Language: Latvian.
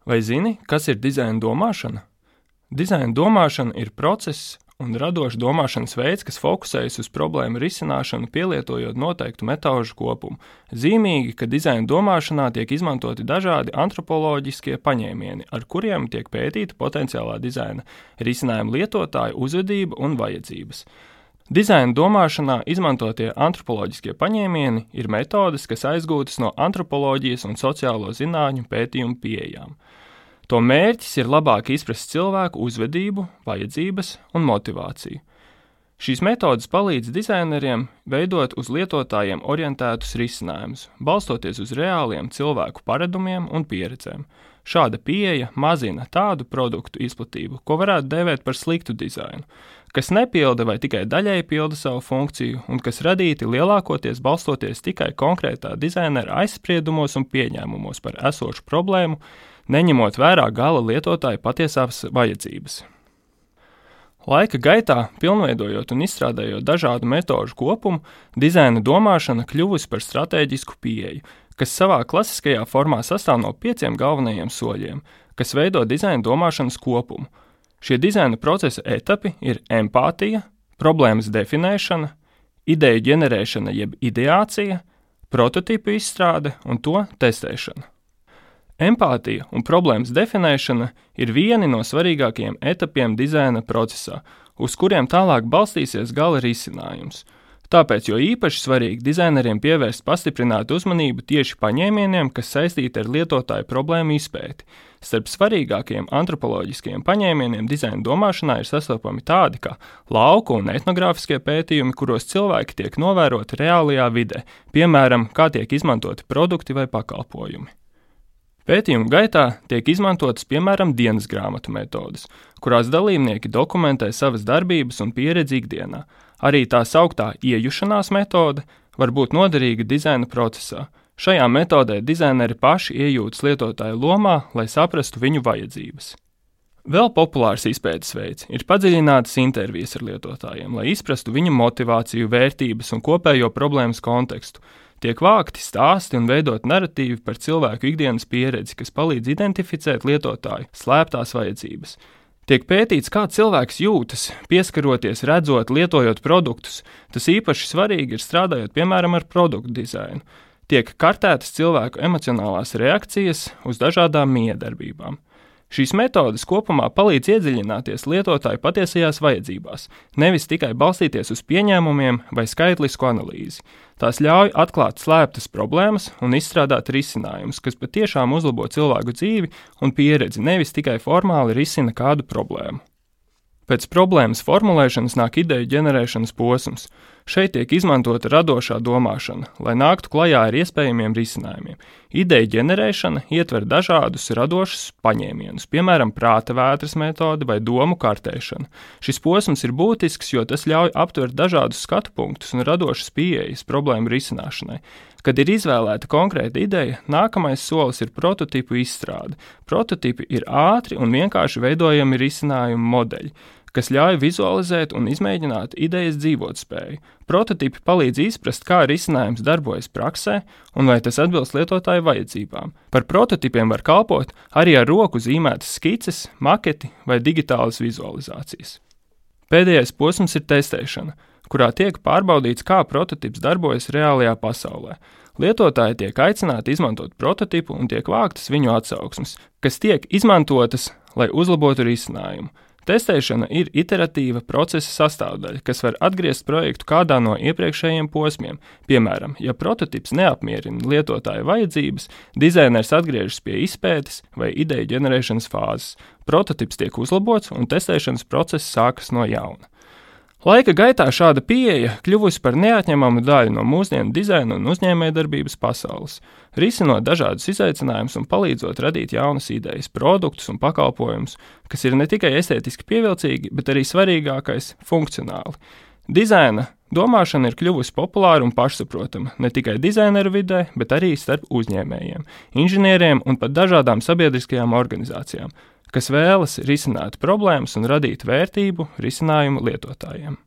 Vai zini, kas ir dizaina domāšana? Dizaina domāšana ir process un radošs domāšanas veids, kas fokusējas uz problēmu risināšanu, pielietojot noteiktu metožu kopumu. Zīmīgi, ka dizaina domāšanā tiek izmantoti dažādi antropoloģiskie paņēmieni, ar kuriem tiek pētīta potenciālā dizaina risinājuma lietotāja uzvedība un vajadzības. Dizaina domāšanā izmantotie antropoloģiskie paņēmieni ir metodes, kas aizgūtas no antropoloģijas un sociālo zinātņu pētījumu pieejām. To mērķis ir labāk izprast cilvēku uzvedību, vajadzības un motivāciju. Šīs metodes palīdz dizaineriem veidot uz lietotājiem orientētus risinājumus, balstoties uz reāliem cilvēku paradumiem un pieredzēm. Šāda pieeja mazina tādu produktu izplatību, ko varētu dēvēt par sliktu dizainu, kas nepilda vai tikai daļēji pilda savu funkciju un kas radīti lielākoties balstoties tikai konkrētā dizainera aizspriedumos un pieņēmumos par esošu problēmu, neņemot vērā gala lietotāja patiesās vajadzības. Laika gaitā, pilnveidojot un izstrādājot dažādu metožu kopumu, dizaina domāšana kļuvusi par stratēģisku pieeju, kas savā klasiskajā formā sastāv no 5 galvenajiem soļiem, kas veido dizaina domāšanas kopumu. Šie dizaina procesa etapi ir empātija, problēmas definēšana, ideju ģenerēšana jeb ideācija, prototipu izstrāde un to testēšana. Empātija un problēmas definēšana ir vieni no svarīgākajiem etapiem dizaina procesā, uz kuriem tālāk balstīsies gala risinājums. Tāpēc jo īpaši svarīgi dizaineriem pievērst pastiprinātu uzmanību tieši paņēmieniem, kas saistīti ar lietotāju problēmu izpēti. Starp svarīgākajiem antropoloģiskajiem paņēmieniem dizaina domāšanā ir sastopami tādi kā lauku un etnogrāfiskie pētījumi, kuros cilvēki tiek novēroti reālajā vidē, piemēram, kā tiek izmantoti produkti vai pakalpojumi. Pētījumu gaitā tiek izmantotas, piemēram, dienas grāmatu metodes, kurās dalībnieki dokumentē savas darbības un pieredzi ikdienā. Arī tā sauktā iejušanās metode var būt noderīga dizaina procesā. Šajā metodē dizaineri paši iejūtas lietotāju lomā, lai saprastu viņu vajadzības. Vēl populārs izpētes veids ir padziļinātas intervijas ar lietotājiem, lai izprastu viņu motivāciju, vērtības un kopējo problēmas kontekstu. Tiek vākti stāsti un veidot naratīvi par cilvēku ikdienas pieredzi, kas palīdz identificēt lietotāju slēptās vajadzības. Tiek pētīts, kā cilvēks jūtas, pieskaroties, redzot, lietojot produktus. Tas īpaši svarīgi ir strādājot, piemēram, ar produktu dizainu. Tiek kartētas cilvēku emocionālās reakcijas uz dažādām miedarbībām. Šīs metodes kopumā palīdz iedziļināties lietotāju patiesajās vajadzībās, nevis tikai balstīties uz pieņēmumiem vai skaitlisku analīzi. Tās ļauj atklāt slēptas problēmas un izstrādāt risinājumus, kas patiešām uzlabo cilvēku dzīvi un pieredzi, nevis tikai formāli risina kādu problēmu. Pēc problēmas formulēšanas nāk ideju ģenerēšanas posms. Šeit tiek izmantota radošā domāšana, lai nāktu klajā ar iespējamiem risinājumiem. Ideju ģenerēšana ietver dažādus radošus paņēmienus, piemēram, prāta vētras metode vai domu kartēšana. Šis posms ir būtisks, jo tas ļauj aptvert dažādus skatu punktus un radošas pieejas problēmu risināšanai. Kad ir izvēlēta konkrēta ideja, nākamais solis ir prototipu izstrāde. Prototipi ir ātri un vienkārši veidojami risinājumu modeļi, kas ļauj vizualizēt un izmēģināt idejas dzīvotspēju. Prototipi palīdz izprast, kā risinājums darbojas praksē un vai tas atbilst lietotāju vajadzībām. Par prototipiem var kalpot arī ar roku zīmētas skices, maketi vai digitālas vizualizācijas. Pēdējais posms ir testēšana, kurā tiek pārbaudīts, kā prototips darbojas reālajā pasaulē. Lietotāji tiek aicināti izmantot prototipu un tiek vāktas viņu atsauksmes, kas tiek izmantotas, lai uzlabotu risinājumu. Testēšana ir iteratīva procesa sastāvdaļa, kas var atgriezt projektu kādā no iepriekšējiem posmiem. Piemēram, ja prototips neapmierina lietotāja vajadzības, dizainers atgriežas pie izpētes vai ideju ģenerēšanas fāzes. Prototips tiek uzlabots un testēšanas process sākas no jauna. Laika gaitā šāda pieeja kļuvusi par neatņemamu daļu no mūsdienu dizaina un uzņēmējdarbības pasaules, risinot dažādus izaicinājumus un palīdzot radīt jaunas idejas, produktus un pakalpojumus, kas ir ne tikai estētiski pievilcīgi, bet arī svarīgākais – funkcionāli. Dizaina domāšana ir kļuvusi populāra un pašsaprotama ne tikai dizaineru vidē, bet arī starp uzņēmējiem, inženieriem un pat dažādām sabiedriskajām organizācijām, kas vēlas risināt problēmas un radīt vērtību risinājumu lietotājiem.